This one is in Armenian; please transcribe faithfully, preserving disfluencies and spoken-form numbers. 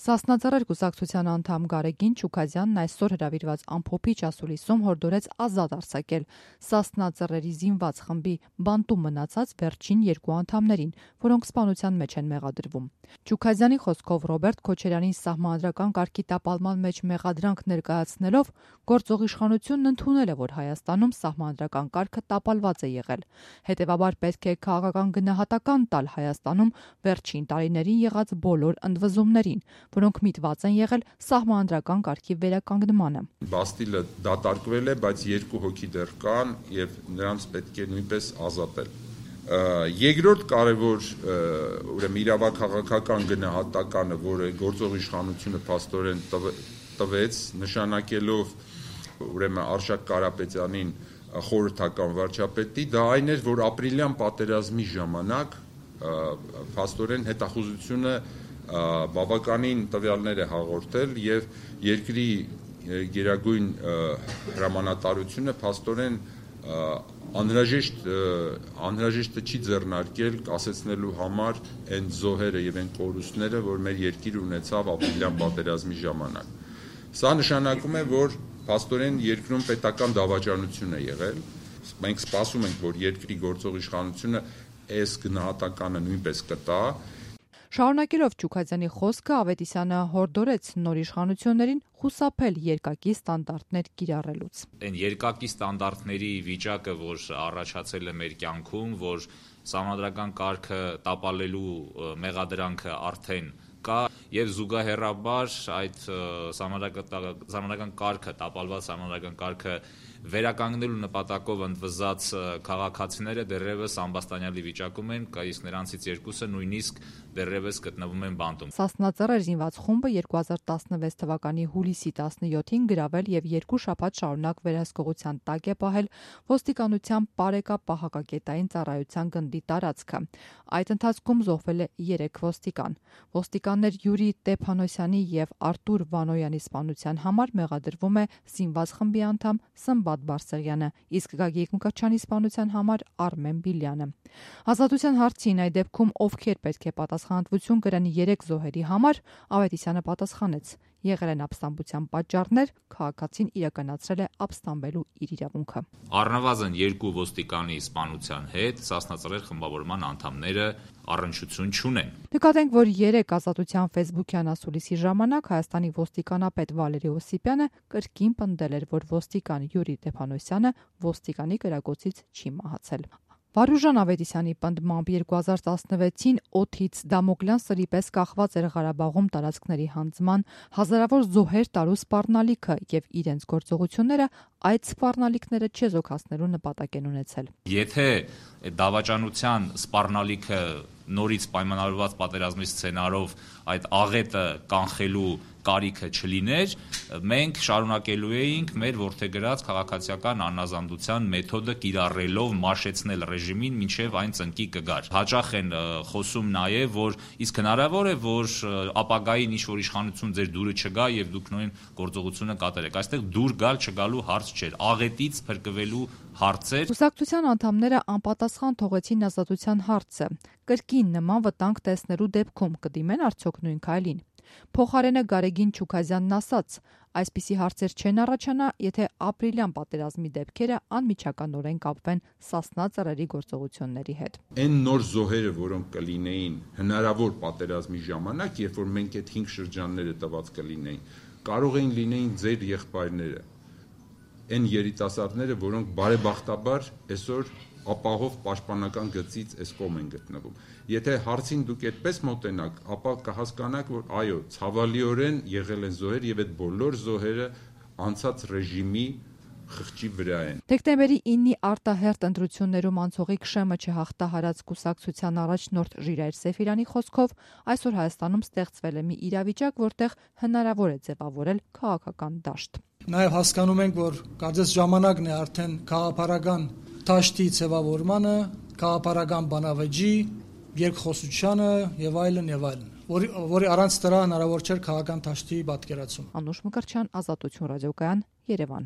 Սասնաձեռեր կուսակցության անդամ Գարեգին Չուքազյանն այսօր հրավիրված ամփոփիչ ասուլիսում հորդորեց ազատ արձակել Սասնաձեռերի զինված խմբի բանտում մնացած վերջին երկու անդամներին, որոնք սպանության մեջ են մեղադրվում։ Չուքազյանի խոսքով Ռոբերտ Քոչարյանին սահմանադրական կարգի տապալման մեջ մեղադրանք ներկայացնելով գործող իշխանությունն ընդունել է, որ Հայաստանում սահմանադրական կարգը տապալված է եղել։ Հետևաբար պետք է քաղաքական գնահատական տալ Հայաստանում վերջին տարիներին եղած բոլոր ընդվզումներին, որոնք միտված են եղել սահմանադրական կարգի վերականգնմանը։ Բաստիլը դատարկվել է, բայց երկու հոգի դեռ կան եւ նրանց պետք է նույնպես ազատել։ Երկրորդ կարևոր ուրեմն իրավաքաղաքական գնահատականը, որը գործող իշխանությունը փաստորեն տվեց, նշանակելով ուրեմն Արշակ Կարապետյանին խորհրդական վարչապետի, դա այն էր, որ ապրիլյան պատերազմի ժամանակ փաստորեն հետախուզությունը բավականին տվյալներ է հաղորդել եւ երկրի գերագույն հրամանատարությունը փաստորեն անհրաժեշտ անհրաժեշտը չի ձեռնարկել կասեցնելու համար այն զոհերը եւ այն կորուստները, որ մեր երկիրը ունեցավ ապրիլյան պատերազմի ժամանակ։ Սա նշանակում է, որ փաստորեն երկրում պետական դավաճանություն է եղել։ Մենք սպասում ենք, որ երկրի գործող իշխանությունը այս գնահատականը նույնպես կտա։ Շարունակելով Չուքազյանի խոսքը Ավետիսյանը հորդորեց նոր իշխանություններին խուսափել երկակի ստանդարտներ կիրառելուց։ Այն երկակի ստանդարտների վիճակը, որ առաջացել է մեր կյանքում, որ սահմանադրական կարգը տապալելու մեղադրանքը արդեն կա եւ զուգահեռաբար այդ սահմանադրական կարգը տապալված սահմանադրական կարգը վերականգնելու նպատակով ընդվզած քաղաքացիները դեռևս ամբաստանյալի վիճակում են, իսկ նրանցից երկուսը նույնիսկ դեռևս գտնվում են բանտում։ Սասնաձեռեր զինված խումբը երկու հազար տասնվեց թվականի հուլիսի տասնյոթին գրավել եւ երկու շաբաթ շարունակ վերահսկողության տակ է պահել ոստիկանության Պարեկա պահակակետային ծառայության գնդի տարածքը։ Այդ ընթացքում զոհվել է երեք ոստիկան։ Ոստիկաններ Յուրի Տեփանոսյանի եւ Արտուր Վանոյանի սպանության համար մեղադրվում է զինված խմբի անդամ Սմբատ Բարսեղյանը, իսկ Գագիկ Մկրտչյանի սպանության համար Արմեն Բիլյանը։ Ազատության հարցին այդ դեպքում ովքեր պետք է պատասխանատվություն կրեն երեք զոհերի համար, Ավետիսյանը պատասխանեց. եղել են ապստամբության պատճառներ, քաղաքացին իրականացրել է ապստամբելու իր իրավունքը։ Առնվազն երկու ոստիկանի սպանության հետ Սասնաձեռեր խմբավորման անդամները առնչություն չունեն։ Նկատենք, որ երեք Ազատության ֆեյսբուքյան ասուլիսի ժամանակ Հայաստանի ոստիկանապետ Վալերի Օսիպյանը կրկին պնդել էր, որ ոստիկան Յուրի Տեփանոսյանը ոստիկանի կրակոցից չի մահացել։ Վարուժան Ավետիսյանի պնդմամբ երկու հազար տասնվեցին օդից Դամոկլյան սրի պես կախված էր Ղարաբաղում տարածքների հանձնման հազարավոր զոհեր տարու սպառնալիքը եւ իրենց գործողությունները այդ սպառնալիքները չեզոքացնելու նպատակ են ունեցել։ Եթե դավաճանության սպառնալիքը նորից պայմանավորված պատերազմի սցենարով այդ աղետը կանխելու կարիքը չլիներ, մենք շարունակելու էինք մեր որդեգրած քաղաքացիական անազանդության մեթոդը կիրառելով մաշեցնել ռեժիմին մինչև այն ծնկի կգար։ Հաճախ են խոսում նաև, որ իսկ հնարավոր է, որ ապագային ինչ-որ իշխանություն ձեր դուրը չգա եւ դուք նույն գործողությունը կատարեք։ Այստեղ դուր գալ չգալու հարց չէր, աղետից փրկվելու հարց էր։ Կուսակցության անդամները անպատասխան թողեցին ազատության հարցը։ Կրկին նման վտանգ տեսնելու դեպքում կդիմեն արդյոք նույն քայլին։ Փոխարենը Գարեգին Չուքազյանն ասաց. այսպիսի հարցեր չեն առաջանա, եթե ապրիլյան պատերազմի դեպքերը անմիջականորեն կապվեն Սասնաձեռերի գործողությունների հետ։ Այն նոր զոհերը, որոնք կլինեին հնարավոր պատերազմի ժամանակ, երբ որ մենք այդ հինգ շրջանները տված կլինեին, կարող էին լինեին ձեր եղբայրները, այն երիտասարդները, որոնք բարեբախտաբար այսօր ապահով պաշտպանական գծից այս կողմ են գտնվում։ Եթե հարցին դուք այդպես մոտենաք, ապա կհասկանաք, որ այո, ցավալիորեն եղել են զոհեր եւ այդ բոլոր զոհերը անցած ռեժիմի խղճի վրա են։ Դեկտեմբերի իննի արտահերտ ընտրություններում անցողիկ շեմը չհաղթահարած կուսակցության առաջնորդ Ժիրայր Սեֆիրյանի խոսքով այսօր Հայաստանում ստեղծվել է մի իրավիճակ, որտեղ հնարավոր է ձևավորել քաղաքական դաշտ։ Նաև հասկանում ենք, որ կարծես ժամանակն է արդեն քաղաքապարական դաշտի ձևավորմանը, քաղաքապարական բանավեճի, երկխոսությանը եւ այլն եւ այլն, որի որի առանց դրա հնարավոր չէր քաղաքական դաշտի պատկերացում։ Անուշ Մկրտչյան, Ազատություն ռադիոկայան, Երևան։